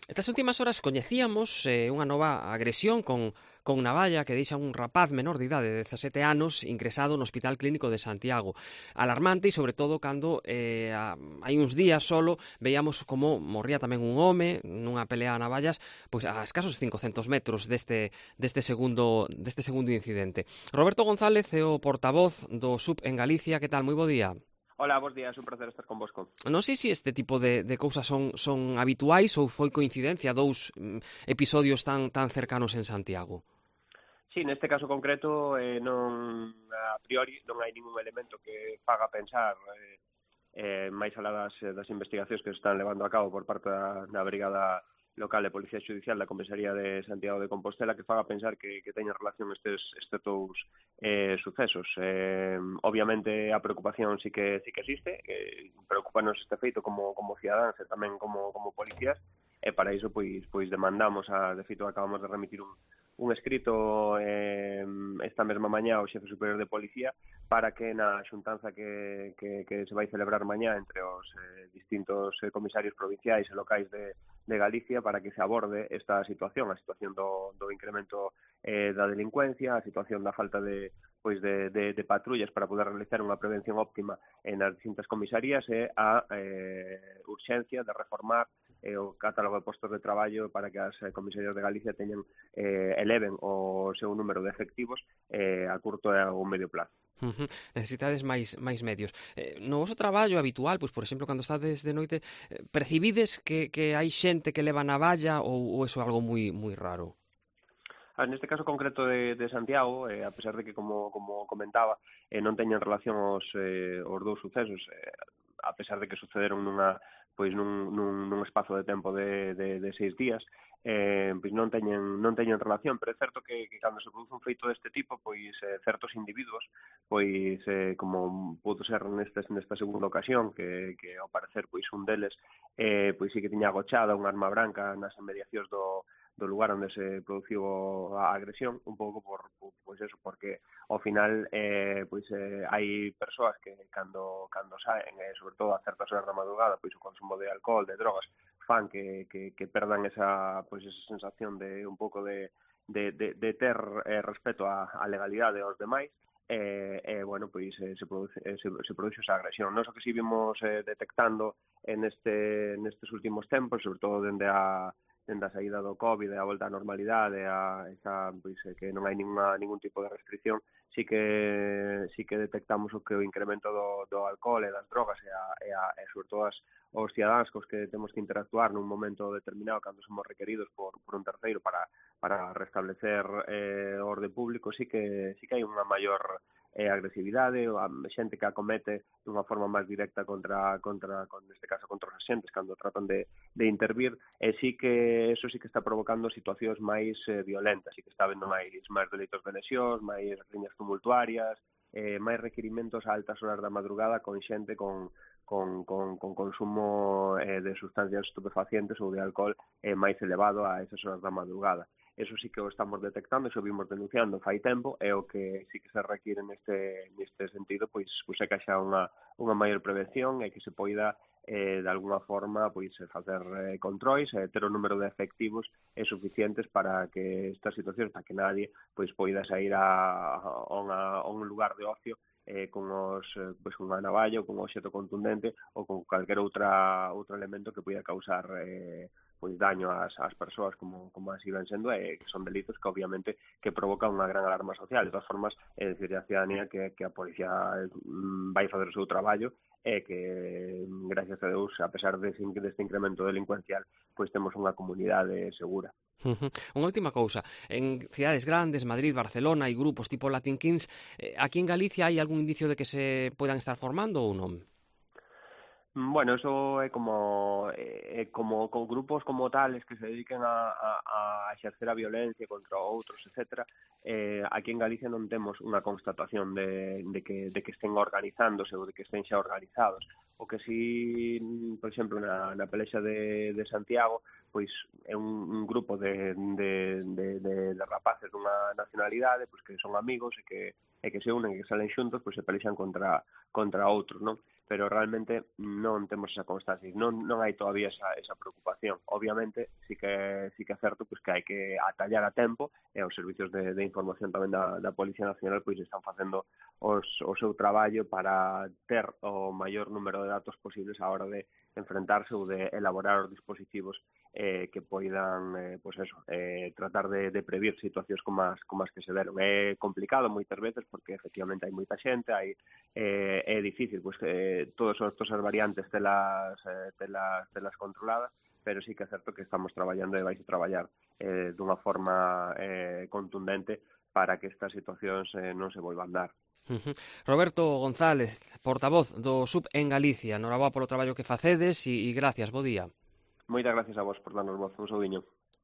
Estas últimas horas coñecíamos unha nova agresión con navalla que deixa un rapaz menor de idade de 17 anos ingresado no Hospital Clínico de Santiago. Alarmante e sobre todo cando hai uns días solo veíamos como morría tamén un home nunha pelea a navallas pois a escasos 500 metros deste segundo incidente. Roberto González é o portavoz do SUB en Galicia. Que tal? Moi bo día. Hola, bos días, un placer estar convosco. Non sei se este tipo de cousas son habituais ou foi coincidencia dous episodios tan cercanos en Santiago. Sí, neste caso concreto non a priori non hai ningún elemento que faga pensar máis alá das investigacións que se están levando a cabo por parte da Brigada Local de Policía Xudicial da Comisaría de Santiago de Compostela que faga pensar que teñen relación estes dous sucesos. Obviamente a preocupación sí que existe, preocupanos este feito como cidadáns e tamén como policías, e para iso pois demandamos, de feito acabamos de remitir un escrito esta mesma mañá ao xefe superior de policía para que na xuntanza que se vai celebrar mañá entre os distintos comisarios provinciais e locais de Galicia para que se aborde esta situación, a situación do incremento da delincuencia, a situación da falta de patrullas para poder realizar unha prevención óptima nas distintas comisarías e a urxencia de reformar o catálogo de postos de traballo para que as comisarías de Galicia eleven o seu número de efectivos a curto e a un medio plazo. Necesitades máis medios. No voso traballo habitual, pois por exemplo, cando estades de noite, percibides que hai xente que leva navalla ou eso é algo moi raro? Neste caso concreto de Santiago, a pesar de que, como comentaba, non teñen relación os dous sucesos, a pesar de que sucederon nun espazo de tempo de 6 días, pois non teñen relación, pero é certo que cando se produce un feito deste tipo, pois certos individuos, pois como pudo ser nesta segunda ocasión, que ao parecer pois un deles pois sí que tiña agochada unha arma branca nas inmediacións do lugar onde se produciu a agresión, un pouco pois eso, porque ao final hai persoas que cando saen, sobre todo a certas horas da madrugada, pois o consumo de alcohol, de drogas, fan que perdan esa sensación de un pouco de ter respeto á legalidade aos demais, bueno, pois se produce esa agresión. Nós o que si vimos detectando nestes últimos tempos, sobre todo dende a saída do COVID e a volta á normalidade, que non hai ningún tipo de restricción, sí que detectamos o incremento do alcohol e das drogas e sobre todo os cidadáns cos que temos que interactuar nun momento determinado cando somos requeridos por un terceiro para restablecer o orde público, sí que hai unha maior agresividade, a xente que acomete dunha forma máis directa neste caso contra os axentes cando tratan de intervir, e sí que eso sí que está provocando situacións máis violentas, sí que está habendo máis delitos de lesións, máis riñas tumultuarias, máis requirimentos a altas horas da madrugada con xente con consumo de sustancias estupefacientes ou de alcohol máis elevado a esas horas da madrugada. Eso sí que o estamos detectando, xo vimos denunciando fai tempo, e o que sí que se require neste sentido, pois é que haxa unha maior prevención e que se poida de alguna forma facer controis e ter o número de efectivos suficientes para que estas situacións, para que nadie poida sair a un lugar de ocio con unha navalla ou con un obxeto contundente ou con calquer outro elemento que poida causar daño ás persoas como así ven sendo, que son delitos que obviamente que provocan unha gran alarma social. De todas formas, decir a ciudadanía que a policía vai facer o seu traballo e que, gracias a Deus, a pesar deste incremento delincuencial, pois temos unha comunidade segura. Unha última cousa, en cidades grandes, Madrid, Barcelona, hai grupos tipo Latin Kings, aquí en Galicia hai algún indicio de que se poidan estar formando ou non? Bueno, eso é como con grupos como tales que se dediquen a exercer a violencia contra outros, etcétera. Aquí en Galicia non temos unha constatación de que estén organizándose ou de que estén xa organizados. O que sí, por exemplo, na pelexa de Santiago, pois é un grupo de rapaces dunha nacionalidade pois que son amigos e que se unen e que salen xuntos, pois se pelexan contra outros, non? pero realmente non temos esa constancia, non hai todavía esa preocupación. Obviamente, sí que é certo pois, que hai que atallar a tempo, e os servizos de información tamén da Policía Nacional pois están facendo o seu traballo para ter o maior número de datos posibles á hora de enfrentarse ou de elaborar os dispositivos que poidan tratar de previr situacións como as que se deron. É complicado moitas veces porque efectivamente hai moita xente, é difícil pois, todas as variantes telas controladas, pero sí que é certo que estamos traballando e vais a traballar dunha forma contundente para que estas situacións non se volvan dar. Roberto González, portavoz do SUB en Galicia. Noraboa polo traballo que facedes e gracias, bo día. Moitas gracias a vos por darnos voz, un saudiño.